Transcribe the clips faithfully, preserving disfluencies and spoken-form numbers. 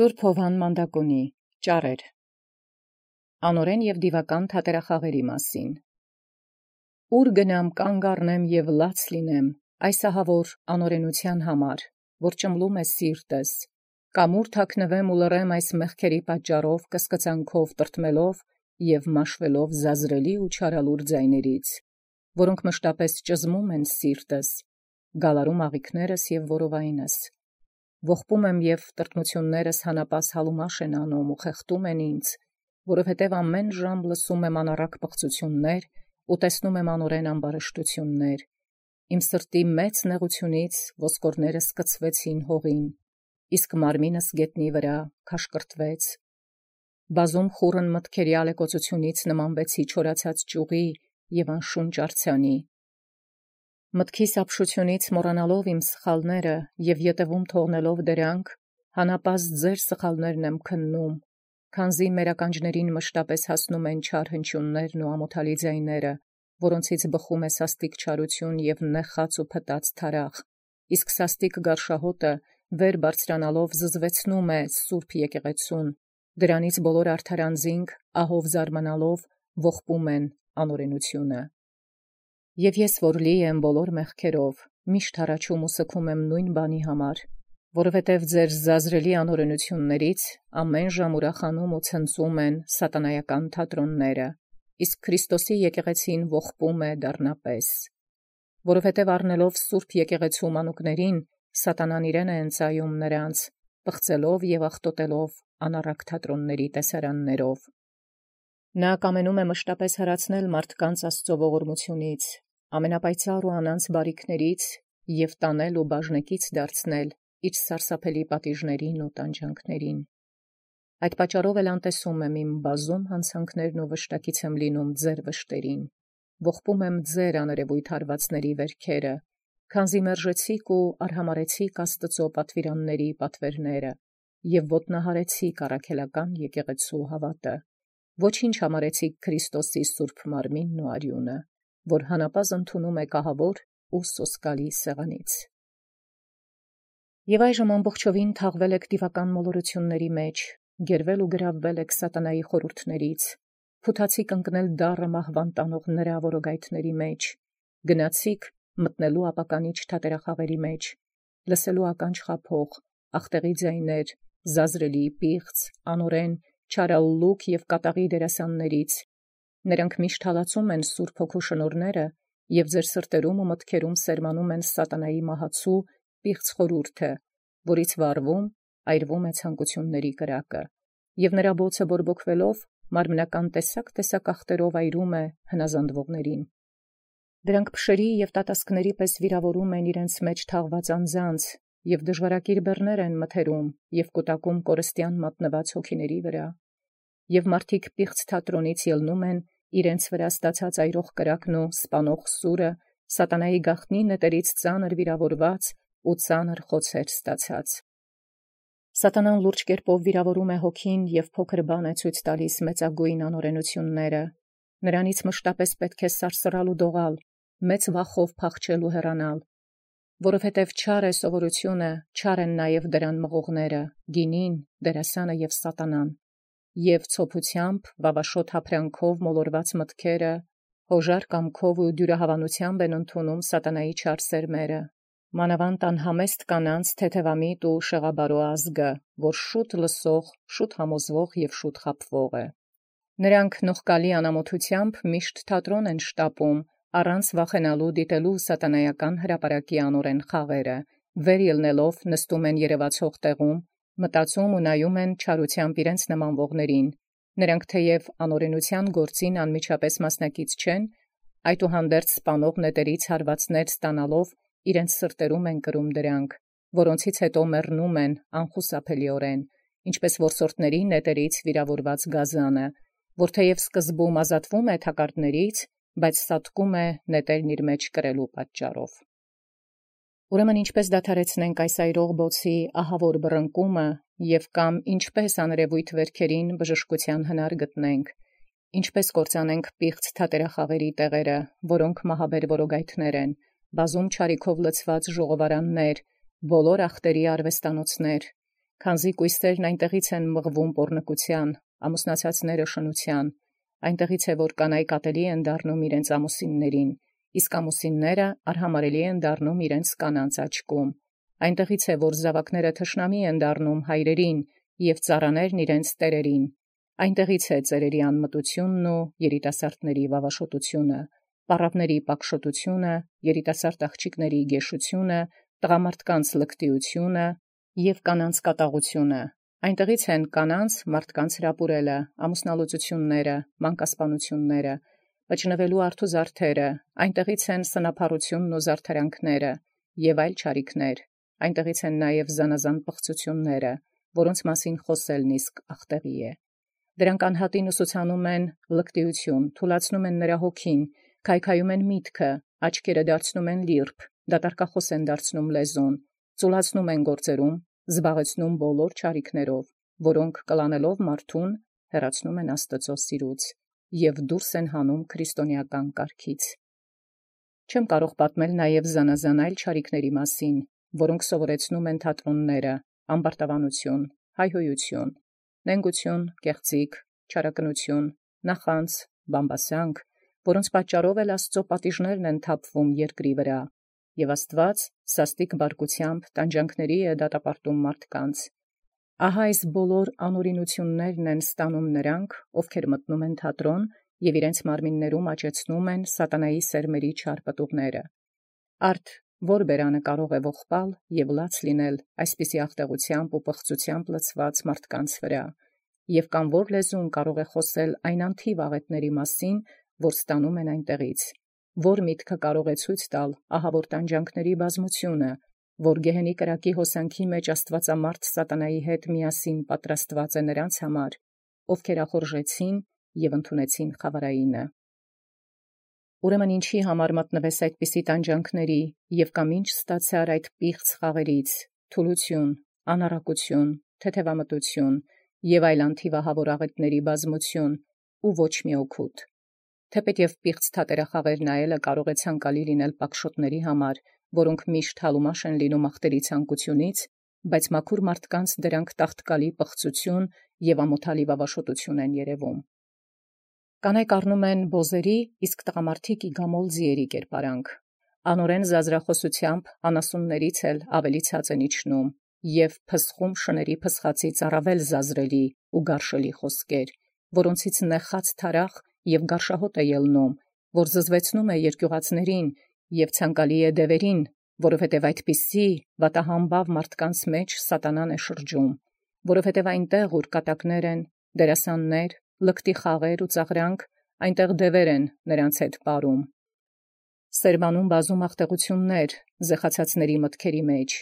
Սուրբ Հովհան Մանդակոնի ճառեր անօրեն և դիվական թատերախաղերի մասին։ Ուր գնամ կանգ առնեմ և լաց լինեմ այս ահավոր անօրենության համար, որ ճմլում է սիրտս, կամ ուր թաքնվեմ ու լռեմ այս մեղքերի պատճառով կսկծանքով տրտմելով և մաշվելով զազրելի ու չարալուր ձայներից, որոնք մշտապես ճզմում են սիրտս, գալարում աղիքներս և որովայնս։ Ողբում եմ և տրտմություններս հանապաս հալումաշ են անում ու խեղդում են ինձ, որովհետև ամեն ժամ լսում եմ անառակ պղծություններ ու տեսնում եմ անօրեն ամբարշտություններ։ Իմ սրտի մեծ նեղությունից ոսկորներս կցվեցին հողին, իսկ մարմինս գետնի վրա քաշկրտվեց։ Բազում խուռն մտքերի ալեկոծությունից նմանվեցի չորացած ճյուղի և անշունչ արձանի։ Մտքիս ապշությունից մոռանալով իմ սխալները և ետևում թողնելով դրանք, հանապազդ ձեր սխալներն եմ քննում, քանզի մեր ականջներին մշտապես հասնում են չար հնչյուններն ու ամոթալի ձայները, որոնցից բխում է սաստիկ չարություն և նեխած ու փտած թարախ, իսկ սաստիկ գարշահոտը վեր բարձրանալով զզվեցնում է սուրբ եկեղեցուն, դրանից բոլոր արդար անձինք ահով զարմանալով ողբում են անօրենությունը։ Եվ ես որ լի եմ բոլոր մեղքերով, միշտ հառաչում ու սգում եմ նույն բանի համար, որովհետև ձեր զազրելի անօրենություններից ամեն ժամ ուրախանում ու ցնծում են սատանայական թատրոնները, իսկ Քրիստոսի եկեղեցին ողբում է դառնապես։ Որովհետև առնելով սուրբ եկեղեցու մանուկներին, սատանան իրեն է ընծայում նրանց, պղծելով և աղտոտելով անառակ թատրոնների տեսարաններով։ Նա կամենում է մշտապես հեռացնել մարդկանց Աստծո ողորմությունից, ամենապայծառ ու անանց բարիքներից և տանել ու բաժնեկից դարձնել իր սարսափելի պատիժներին ու տանջանքներին։ Այդ պատճառով էլ անտեսում եմ իմ բազում հանցանքներն ու վշտակից եմ լինում ձեր վշտերին, ողբում եմ ձեր աներևույթ հարվածների վերքերը, քանզի մերժեցիք ու արհամարեցիք Աստծո պատվիրանների պատվերները և ոտնահարեցիք առաքելական եկեղեցու հավատը, ոչինչ համարեցիք Քրիստոսի սուրբ մարմինն ու արյունը, որ հանապազդ ընդունում եք ահավոր ու սոսկալի սեղանից։ Եվ այժմ ամբողջովին թաղվել եք դիվական մոլորությունների մեջ, գերվել ու գրավվել եք սատանայի խորհուրդներից, փութացիք ընկնել դառը մահվան տանող նրա որոգայթների մեջ, գնացիք մտնելու ապականիչ թատերախաղերի մեջ, լսելու ականջ խաբող, աղտեղի ձայներ, զազրելի, պիղծ, անօրեն, չարալուկ և կատաղի դերասաններից։ Նրանք միշտ հալածում են Սուրբ Հոգու շնորհները և ձեր սրտերում ու մտքերում սերմանում են սատանայի մահացու պիղծ խորհուրդը, որից վառվում, այրվում է ցանկությունների կրակը, և նրա բոցը բորբոքվելով մարմնական տեսակ-տեսակ աղտերով այրում է հնազանդվողներին։ Դրանք փշերի և տատասկների պես վիրավորում են իրենց մեջ թաղված անձանց և դժվարակիր բեռներ են մթերում և կուտակում կորստյան մատնված հոգիների վրա։ Եվ մարդիկ պիղծ թատրոնից ելնում են իրենց վրա ստացած այրող կրակն ու սպանող սուրը, սատանայի գաղտնի նետերից ծանր վիրավորված ու ծանր խոցեր ստացած։ Սատանան լուրջ կերպով վիրավորում է հոգին և փոքր բան է ցույց տալիս մեծագույն անօրենությունները։ Նրանից մշտապես պետք է սարսռալ ու դողալ, մեծ վախով փախչել ու հեռանալ, որովհետև չար է սովորությունը, չար են նաև դրան մղողները, գինին, դերասանը և սատանան, և ցոփությամբ, վավաշոտ հափրանքով մոլորված մտքերը, հոժար կամքով ու դյուրահավանությամբ են ընդունում սատանայի չար սերմերը, մանավանդ անհամեստ կանանց թեթևամիտ ու շեղաբարո ազգը, որ շուտ լսող, շուտ համոզվող և շուտ խաբվող է։ Նրանք նողկալի անամոթությամբ միշտ թատրոն են շտապում, առանց վախենալու դիտելու սատանայական հրապարակի անօրեն խաղերը, վեր ելնելով նստում են երևացող տեղում, մտածում ու նայում են չարությամբ իրենց նմանվողներին։ Նրանք թեև անօրենության գործին անմիջապես մասնակից չեն, այդուհանդերձ սպանող նետերից հարվածներ ստանալով իրենց սրտերում են կրում դրանք, որոնցից հետո մեռնում են անխուսափելիորեն, ինչպես որսորդների նետերից վիրավորված գազանը, որ թեև սկզբում ազատվում է թակարդներից, բայց սատկում է նետերն իր մեջ կրելու պատճառով։ Ուրեմն ինչպես դադարեցնենք այս այրող բոցի ահավոր բռնկումը և կամ ինչպես աներևույթ վերքերին բժշկության հնար գտնենք, ինչպես կործանենք պիղծ թատերախաղերի տեղերը, որոնք մահաբեր որոգայթներ են, բազում չարիքով լցված ժողովարաններ, բոլոր ախտերի արվեստանոցներ, Քանզի կույսերն այնտեղից են մղվում պոռնկության, ամուսնացածները շնության, այնտեղից է որ կանայք ատելի են դառնում իրենց ամուսիններին, իսկ ամուսինները արհամարելի են դառնում իրենց կանանց աչքում, այնտեղից է որ զավակները թշնամի են դառնում հայրերին և ծառաներն իրենց տերերին, այնտեղից է ծերերի անմտությունն ու երիտասարդների վավաշոտությունը, պառավների պակշոտությունը, երիտասարդ աղջիկների գեշությունը, տղամարդկանց լկտիությունը և կանանց կատաղությունը, այնտեղից են կանանց մարդկանց հրապուրելը, ամուսնալուծությունները, մանկասպանությունները, պճնվելու արթու զարդերը, այնտեղից են սնափառությունն ու զարդարանքները և այլ չարիքներ, այնտեղից են նաև զանազան պղծությունները, որոնց մասին խոսելն իսկ աղտեղի է։ Դրանք անհատին ուսուցանում են լկտիություն, թուլացնում են նրա հոգին, քայքայում են միտքը, աչքերը դարձնում են լիրբ, դատարկախոս են դարձնում լեզուն, ծուլացնում են գործերում, զբաղեցնում բոլոր չարիքներով, որոնք կլանելով մարդուն հեռացնում են Աստծո սիրուց և դուրս են հանում քրիստոնեական կարգից։ Չեմ կարող պատմել նաև զանազան այլ չարիքների մասին, որոնք սովորեցնում են թատրոնները, ամբարտավանություն, հայհոյություն, նենգություն, կեղծիք, չարակնություն, նախանձ, բամբասանք, որոնց պատճառով էլ Աստծո պատիժներն են թափվում երկրի վրա, և Աստված սաստիկ բարկությամբ տանջանքների է դատապարտում մարդկանց։ Ահա այս բոլոր անօրինություններն են ստանում նրանք, ովքեր մտնում են թատրոն և իրենց մարմիններում աճեցնում են սատանայի սերմերի չար պտուղները։ Արդ որ բերանը կարող է ողբալ և լաց լինել այսպիսի աղտեղությամբ ու պղծությամբ լցված մարդկանց վրա, և կամ որ լեզուն կարող է խոսել այն անթիվ աղետների մասին, որ ստանում են այնտեղից, որ միտքը կարող է ցույց տալ ահավոր տանջանքների բազմությունը, որ գեհենի կրակի հոսանքի մեջ աստվածամարդ սատանայի հետ միասին պատրաստված է նրանց համար, ովքեր ախորժեցին և ընդունեցին խավարայինը։ Ուրեմն ինչի համար մատնվես այդպիսի տանջանքների և կամ ինչ ստացար այդ պիղծ խաղերից, թուլություն, անառակություն, թեթևամտություն և այլ անթիվ ահավոր աղետների բազմություն ու ոչ մի օգուտ։ Թեպետև պիղծ թատերախաղեր նայելը կարող է ցանկալի լինել պակշոտների համար, որոնք միշտ հալումաշ են լինում աղտերի ցանկությունից, բայց մաքուր մարդկանց դրանք տաղտկալի պղծություն և ամոթալի վավաշոտություն են երևում։ Կանայք առնում են բոզերի, իսկ տղամարդիկ իգամոլ ձիերի կերպարանք, անօրեն զազրախոսությամբ անասուններից էլ ավելի ցած են իջնում և փսխում շների փսխացից առավել զազրելի ու գարշելի խոսքեր, որոնցից նեխած թարախ և գարշահոտ է ելնում, որ զզվեցնում է երկյուղածներին և ցանկալի է դևերին, որովհետև այդպիսի վատահամբավ մարդկանց մեջ սատանան է շրջում, որովհետև այնտեղ, ուր կատակներ են, դերասաններ, լկտի խաղեր ու ծաղրանք, այնտեղ դևեր են նրանց հետ պարում, սերմանում բազում աղտեղություններ զեխացածների մտքերի մեջ,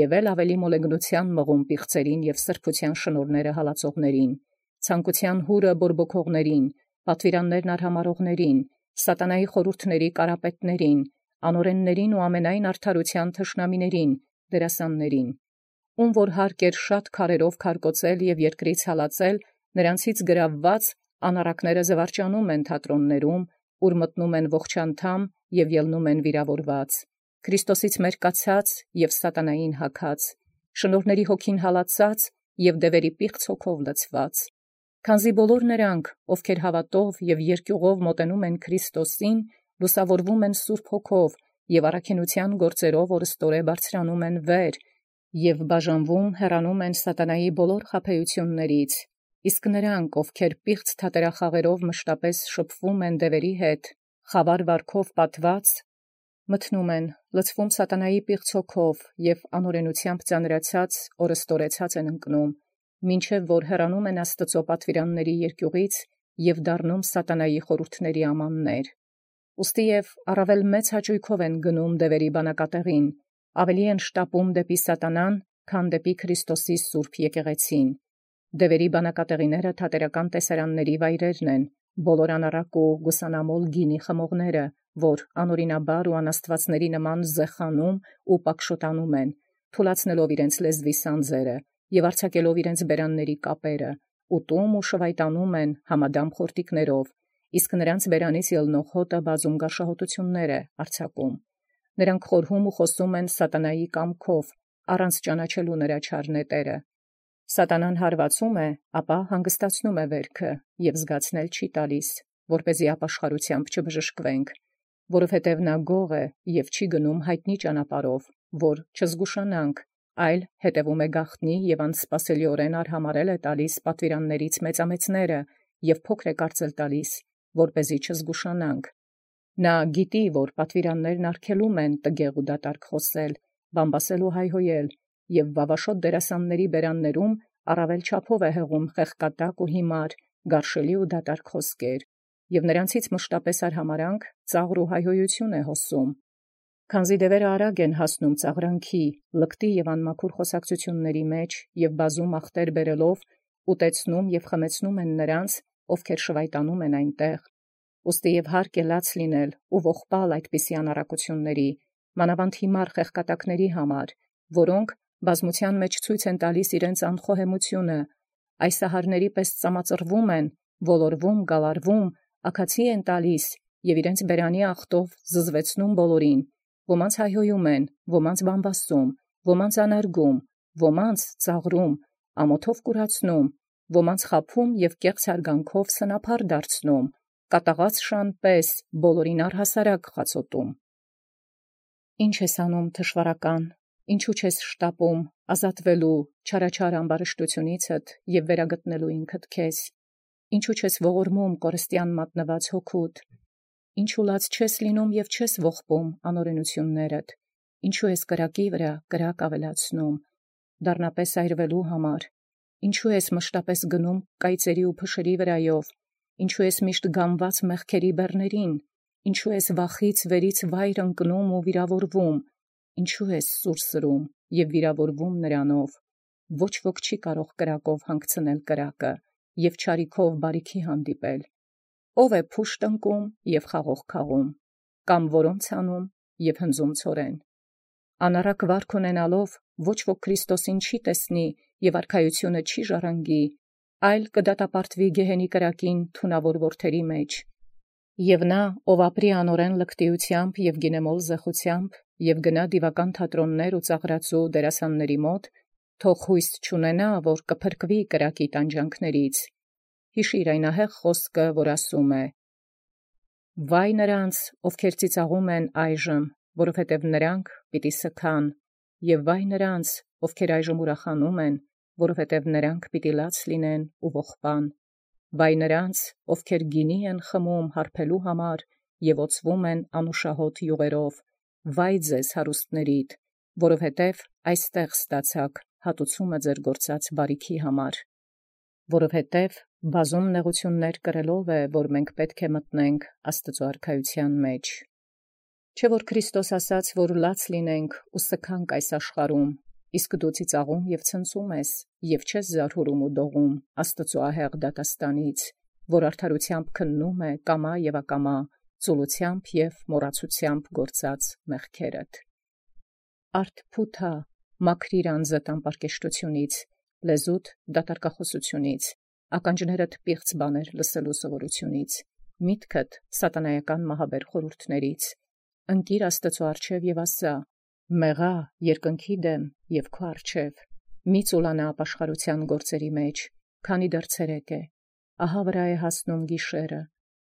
և էլ ավելի մոլեգնության մղում պիղծերին և սրբության շնորհները հալածողներին, ցանկության հուրը բորբոքողներին, պատվիրաններն արհամարողներին, սատանայի խորհուրդների կարապետներին, անօրեններին ու ամենայն արդարության թշնամիներին, դերասաններին, ում որ հարկ էր շատ քարերով քարկոծել և երկրից հալածել, նրանցից գրավված անառակները զվարճանում են թատրոններում, ուր մտնում են ողջանդամ և ելնում են վիրավորված, Քրիստոսից մերկացած և սատանային հագած, շնորհների հոգին հալածած և դևերի պիղծ հոգով լցված։ Քանզի բոլոր նրանք, ովքեր հավատով և երկյուղով մոտենում են Քրիստոսին, լուսավորվում են Սուրբ Հոգով և առաքինության գործերով օրըստորե բարձրանում են վեր և բաժանվում հեռանում են սատանայի բոլոր խաբեություններից, իսկ նրանք, ովքեր պիղծ թատերախաղերով մշտապես շփվում են դևերի հետ, խավար վարքով պատված, մտնում են, լցվում սատանայի պիղծ հոգով և անօրենությամբ ծանրացած օրըստորեցած են ընկնում, մինչև որ հեռանում են Աստծո պատվիրանների երկյուղից և դառնում սատանայի խորհուրդների ամաններ։ Ուստիև առավել մեծ հաճույքով են գնում դևերի բանակատեղին, ավելի են շտապում դեպի սատանան, քան դեպի Քրիստոսի սուրբ եկեղեցին։ Դևերի բանակատեղիները թատերական տեսարանների վայրերն են, բոլոր անառակ ու գուսանամոլ գինի խմողները, որ անօրինաբար ու անաստվածների նման զեխանում ու պակշոտանում են, թուլացնելով իրենց լեզվի սանձերը և արձակելով իրենց բերանների կապերը, ուտում ու շվայտանում են համադամ խորտիկներով, իսկ նրանց բերանից ելնող հոտը բազում գարշահոտություններ է արձակում։ Նրանք խորհում ու խոսում են սատանայի կամքով, առանց ճանաչելու նրա չար նետերը, Սատանան հարվածում է, ապա հանգստացնում է վերքը և զգացնել չի տալիս, որպեսզի ապաշխարությամբ չբժշկվենք, որովհետև նա գող է և չի գնում հայտնի ճանապարհով, որ չզգուշանանք, այլ հետևում է գաղտնի և անսպասելիորեն արհամարհել է տալիս պատվիրաններից մեծամեծները և փոքր է կարծել տալիս, որպեսզի չզգուշանանք։ Նա գիտի, որ պատվիրաններն արգելում են տգեղ ու դատարկ խոսել, բամբասել ու հայհոյել, և վավաշոտ դերասանների բերաններում առավել չափով է հեղում խեղկատակ ու հիմար, գարշելի ու դատարկ խոսքեր, և նրանցից մշտապես արհամարհանք, ծաղր ու հայհոյություն է հոսում։ Քանզի դևերը արագ են հասնում ծաղրանքի, լկտի և անմաքուր խոսակցությունների մեջ և բազում ախտեր բերելով ուտեցնում և խմեցնում են նրանց, ովքեր շվայտանում են այնտեղ։ Ուստի և հարկ է լաց լինել ու ողբալ այդպիսի անառակությունների, մանավանդ հիմար խեղկատակների համար, որոնք բազմության մեջ ցույց են տալիս իրենց անխոհեմությունը, այսահարների պես ծամածռվում են, ոլորվում, գալարվում, աքացի են տալիս և իրենց բերանի ախտով զզվեցնում բոլորին, ոմանց հայհոյում են, ոմանց բամբասում, ոմանց անարգում, ոմանց ծաղրում, ամոթով կուրացնում, ոմանց խաբում և կեղծ հարգանքով սնափառ դարձնում, կատաղած շան պես բոլորին առհասարակ խացոտում։ Ի՞նչ ես անում, թշվառական, ինչու չես շտապում ազատվելու չարաչար ամբարշտությունիցդ և վերագտնելու ինքդ քեզ, ինչու չես ողորմում կորստյան մատնված հոգուդ, ինչու լաց չես լինում և չես ողբում անօրենություններդ, ինչու ես կրակի վրա կրակ ավելացնում, դառնապես այրվելու համար, ինչու ես մշտապես գնում կայծերի ու փշերի վրայով, ինչու ես միշտ գամված մեղքերի բեռներին, ինչու ես վախից վերից վայր ընկնում ու վիրավորվում, ինչու ես սուր սրում և վիրավորվում նրանով, ոչ ոք չի կարող կրակով հանգցնել կրակը և չարիքով բարիքի հանդիպել, ով է փուշտ ընկում և խաղող քաղում, կամ որոնց անում և հնձում ցորեն։ Անառակ վարք ունենալով ոչ ոք Քրիստոսին չի տեսնի և արքայությունը չի ժառանգի, այլ կդատապարտվի գեհենի կրակին թունավոր որդերի մեջ։ Եվ նա, ով ապրի անօրեն լկտիությամբ և գինեմոլ զեխությամբ և գնա դիվական թատրոններ ու ծաղրածու դերասանների մոտ, թող հույս չունենա, որ կփրկվի կրակի տանջանքներից։ Հիշիր այն ահեղ խոսքը, որ ասում է. «Վայ նրանց, ովքեր ծիծաղում են այժմ, որովհետև նրանք պիտի սգան, և վայ նրանց, ովքեր այժմ ուրախանում են, որովհետև նրանք պիտի լաց լինեն ու ողբան։ Վայ նրանց, ովքեր գինի են խմում հարբելու համար և օծվում են անուշահոտ յուղերով, վայ ձեզ հարուստներիդ, որովհետև այստեղ ստացաք հատուցումը ձեր գործած բարիքի համար։ Որովհետև բազում նեղություններ կրելով է, որ մենք պետք է մտնենք Աստծու արքայության մեջ։ Չէ՞ որ Քրիստոս ասաց, որ լաց լինենք ու սգանք այս աշխարհում, իսկ դու ծիծաղում և ցնծում ես, և չես զարհուրում ու դողում Աստծու ահեղ դատաստանից, որ արդարությամբ քննում է կամա և ակամա, ծուլությամբ և մոռացությամբ գործած մեղքերդ։ Արդ փութա, մաքրիր անձդ անպարկեշտությունից, լեզուդ դատարկախոսությունից, ականջներդ պիղծ բաներ լսելու սովորությունից, միտքդ սատանայական մահաբեր խորհուրդներից, ընկիր Աստծու առջև և ասա. «Մեղա երկնքի դեմ և քո առջև, մի ծուլանա ապաշխարության գործերի մեջ, քանի դեռ ցերեկ է, ահա վրա է հասնում գիշերը,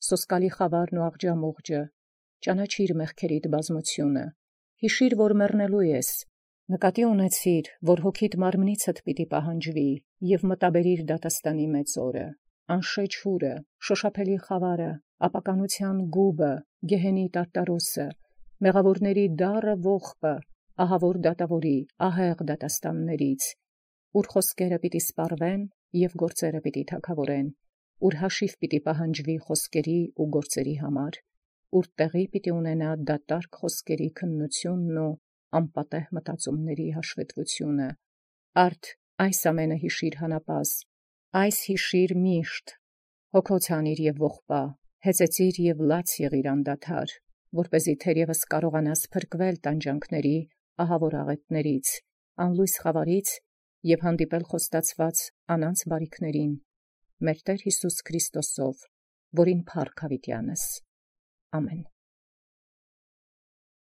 սոսկալի խավարն ու աղջամուղջը, ճանաչիր մեղքերիդ բազմությունը, հիշիր, որ մեռնելու ես, նկատի ունեցիր, որ հոգիդ մարմնիցդ պիտի պահանջվի, և մտաբերիր դատաստանի մեծ օրը, անշեջ հուրը, շոշափելի խավարը, ապականության գուբը, գեհենի տարտարոսը, մեղավորների դառը ողբը, ահավոր դատավորի, ահեղ դատաստաններից, ուր խոսքերը պիտի սպառվեն և գործերը պիտի թագավորեն, ուր հաշիվ պիտի պահանջվի խոսքերի ու գործերի համար, ուր տեղի պիտի ունենա դատարկ խոսքերի քննությունն ու անպատեհ մտածումների հաշվետվությունը։ Արդ այս ամենը հիշիր հանապազ, այս հիշիր միշտ, հոգոց հանիր և ողբա, հեծեծիր և լաց եղիր անդադար, որպեսզի թերևս կարողանաս փրկվել տանջանքների ահավոր աղետներից, անլույս խավարից և հանդիպել խոստացված անանց բարիքներին, մեր Տեր Հիսուս Քրիստոսով, որին փառք հավիտյանս։ Ամեն։